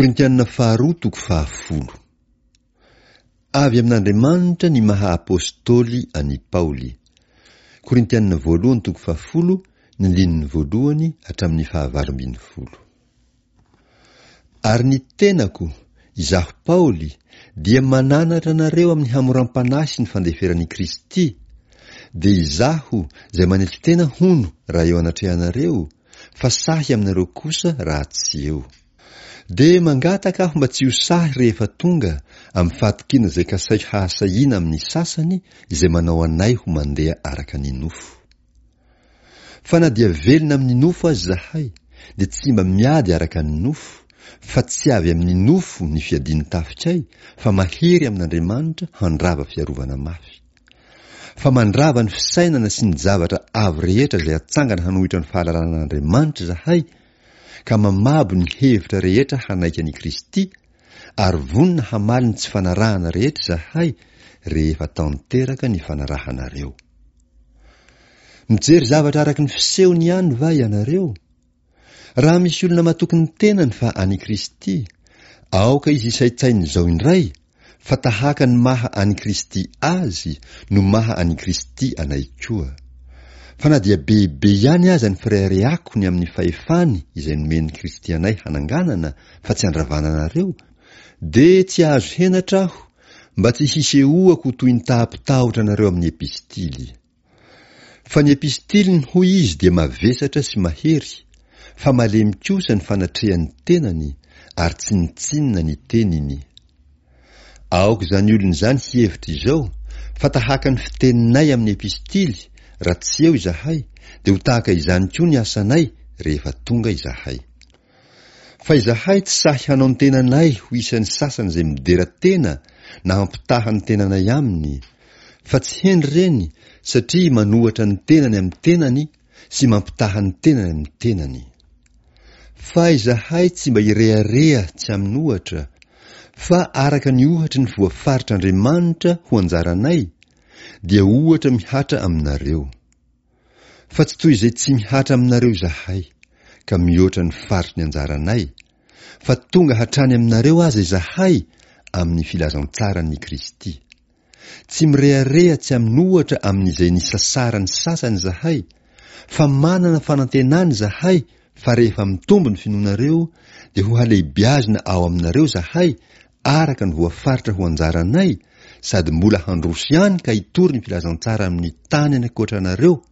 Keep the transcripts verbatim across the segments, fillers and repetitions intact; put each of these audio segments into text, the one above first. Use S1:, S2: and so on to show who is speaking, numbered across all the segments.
S1: Korintianina faharoa toko fahafolo. Avy amin'Andriamanitra ny maha apôstôly an'i Paoly. Korintianina voalohany toko fahafolo, ny andininy voalohany hatramin'ny fahavalo ambin'ny folo. Ary ny tenako, izaho Paoly, dia mananatra anareo amin'ny hamoram-panahy sy ny fandeferan'i Kristy, dia izaho izay manetry tena hono raha eo anatrehanareo, fa sahy aminareo kosa raha tsy eo. Dia mangataka aho mba tsy ho sahy rehefa tonga amin'ny fahatokiana izay kasaiko hahasahiana amin'ny sasany izay manao anay ho mandeha araka ny nofo. Fa na dia velona amin'ny nofo aza izahay, dia tsy mba miady araka ny nofo, fa tsy avy amin'ny nofo ny fiadian'ny tafikay, fa mahery amin'Andriamanitra handrava fiarovana mafy. Fa mandrava ny fisainana sy ny zavatra avo rehetra izay atsangana hanohitra ny fahalalana an'Andriamanitra izahay, ka mamabo ny hevitra rehetra hanaiky an'i Kristy, ary vonona hamaly ny tsy fanarahana rehetra izahay rehefa tanteraka ny fanarahanareo. Mijery zavatra araka ny fisehony ihany va ianareo? Raha misy olona matoky ny tenany fa an'i Kristy, aoka izy hisaintsaina izao indray, fa tahaka ny maha an'i Kristy azy no maha an'i Kristy anay koa. Fa na dia bebe ihany aza ny fireharehako ny amin'ny fahefany izay nomen'i Kristy anay hananganana fa tsy handravana anareo, dia tsy hahazo henatra aho mba tsy hisehoako ho toy ny taha-pitahotra anareo amin'ny epistily. Fa ny epistiliny hoy izy dia mavesatra sy mahery, fa malemy kosa ny fanatrehan'ny tenany ary tsinontsinona ny teniny. Aoka izany olona izany hihevitra izao, fa tahaka ny fiteninay amin'ny epistily raha tsy eo izahay, dia ho tahaka izany koa ny asanay rehefa tonga izahay. Fa izahay tsy sahy hanao ny tenanay ho isan'ny sasany izay midera tena na hampitaha ny tenanay aminy, fa tsy hendry ireny satria manohatra ny tenany amin'ny tenany sy mampitaha ny tenany amin'ny tenany. Fa izahay tsy mba hirehareha tsy amin'ohatra, fa araka ny ohatry ny voafaritr'Andriamanitra ho anjaranay, dia ohatra mihatra aminareo. Fa tsy toy izay tsy mihatra aminareo izahay, ka mihoatra ny faritry ny anjaranay, fa tonga hatrany aminareo aza izahay amin'ny filazantsaran'i Kristy. Tsy mirehareha tsy amin'ohatra amin'izay nisasaran'ny sasany izahay, fa manana fanantenana izahay fa rehefa mitombo ny finoanareo, dia ho halehibiazina ao aminareo izahay araka ny voafaritra ho anjaranay, sady mbola handroso ihany ka hitory ny filazantsara amin'ny tany any ankoatra anareo,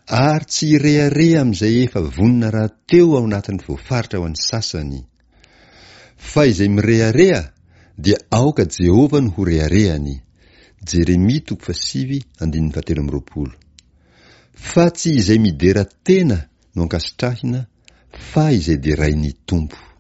S1: ary tsy hirehareha amin'izay efa vonona rahateo ao anatin'ny voafaritra ho an'ny sasany. Fa izay mirehareha dia aoka Jehovah no ho reharehany. Jeremia toko fahasivy andininy fahatelo amby roapolo. Fa tsy izay midera tena no ankasitrahina, fa izay derain'ny Tompo.